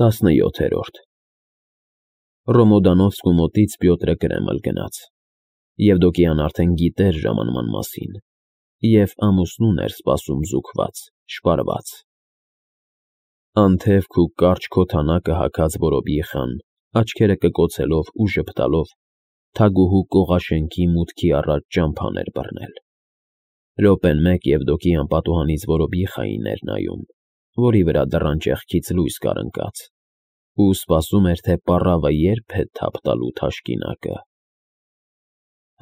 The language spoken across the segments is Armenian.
17 Ռոմոդանովսկու մոտից Պյոտրը Կրեմլ գնաց, Եվդոկիան արդեն գիտեր ժամանման մասին, և ամուսնուն էր սպասում զուգված, շպարված։ Անթևք ու կարճ քոթանակը հագած որոբիխան, աչքերը կկոցելով ու ժպտալով, թագուհու կողաշենքի մուտքի առաջ ճամփան էր բռնել։ Րոպեն մեկ Եվդոկիան պատուհանից որոբիխային էր նայում, որի վրա դռան ճեղքից լույս կար ընկած, ու սպասում էր, թե պառավը երբ է թափ տալու թաշկինակը։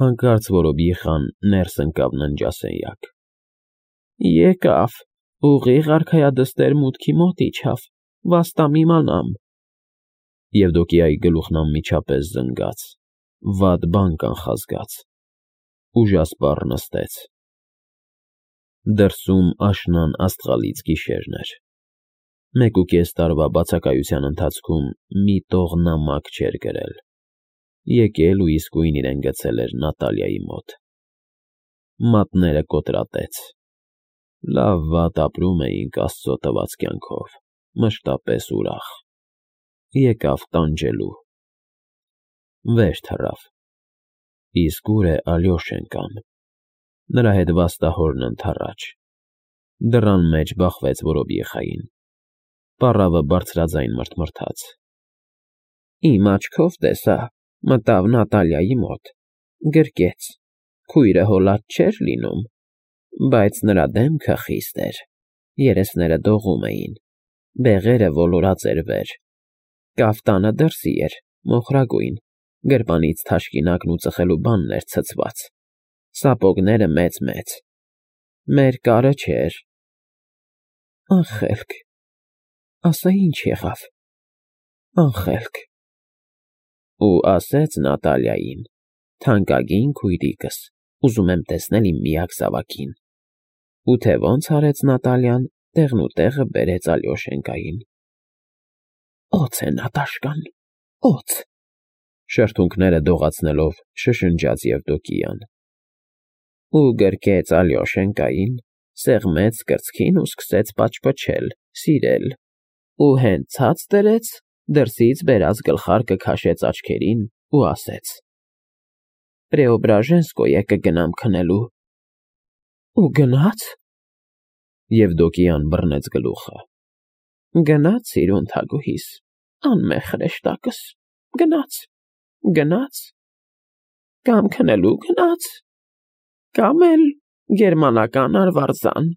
Հանկարծ որոբիխան ներս ընկավ ննջասենյակ։ Եկավ, ուղիղ արքայադստեր մուտքի մոտ իջավ, վաստամ իմանամ։ Եվդոկիայի գլուխն անմիջապես զնգաց, վատ բան կանխազգաց, ուժասպառ նստեց։ Դրսում աշնան աստղալից գիշերն էր։ 1.5 տարվա բացակայության ընթացքում մի տող նամակ չէր գրել, եկել ու իսկույն իրեն գցել էր Նատալիայի մոտ։ Մատները կոտրատեց։ Լավ-վատ ապրում էինք Աստծո տված կյանքով, մշտապես ուրախ։ Եկավ տանջելու։ Վեր թռավ։ Իսկ ուր է Ալյոշենկան։ Նրա հետ վաստահորն ընդառաջ։ Դռան մեջ բախվեց որոբիխային։ Պառավը բարձրաձայն մռթմռթաց։ Իմ աչքով տեսա, մտավ Նատալիայի մոտ, գրկեց, քույրը հոլած չէր լինում, բայց նրա դեմքը խիստ էր, երեսները դողում էին, բեղերը ոլորած էր վեր, կաֆտանը դրսի էր, մոխրագույն, գրպանից թաշկինակն ու ծխելու բանն էր ցցված, սապոգները մեծ, մեր կարը չէր։ Անխելք, ասա ինչ եղավ, անխելք։ Ու ասեց Նատալիային. թանկագին քույրիկս, ուզում եմ տեսնել իմ միակ զավակին։ Ու թե ոնց արեց Նատալիան, տեղնուտեղը բերեց Ալյոշենկային։ Օձ է Նատաշկան, օձ, շրթունքները դողացնելով շշնջաց Եվդոկիան։ Ու գրկեց Ալյոշենկային, սեղմեց կրծքին ու սկսեց պաչպչել, սիրել, ու հենց ցած դրեց, դրսից բերած գլխարկը քաշեց աչքերին ու ասեց. Պրեոբրաժենսկոյե կգնամ քնելու։ Ու գնաց։ Եվդոկիան բռնեց գլուխը։ Գնաց իրուն թագուհիս, անմեղ հրեշտակս, գնաց, կամ քնելու գնաց, կամ էլ գերմանական արվարձան։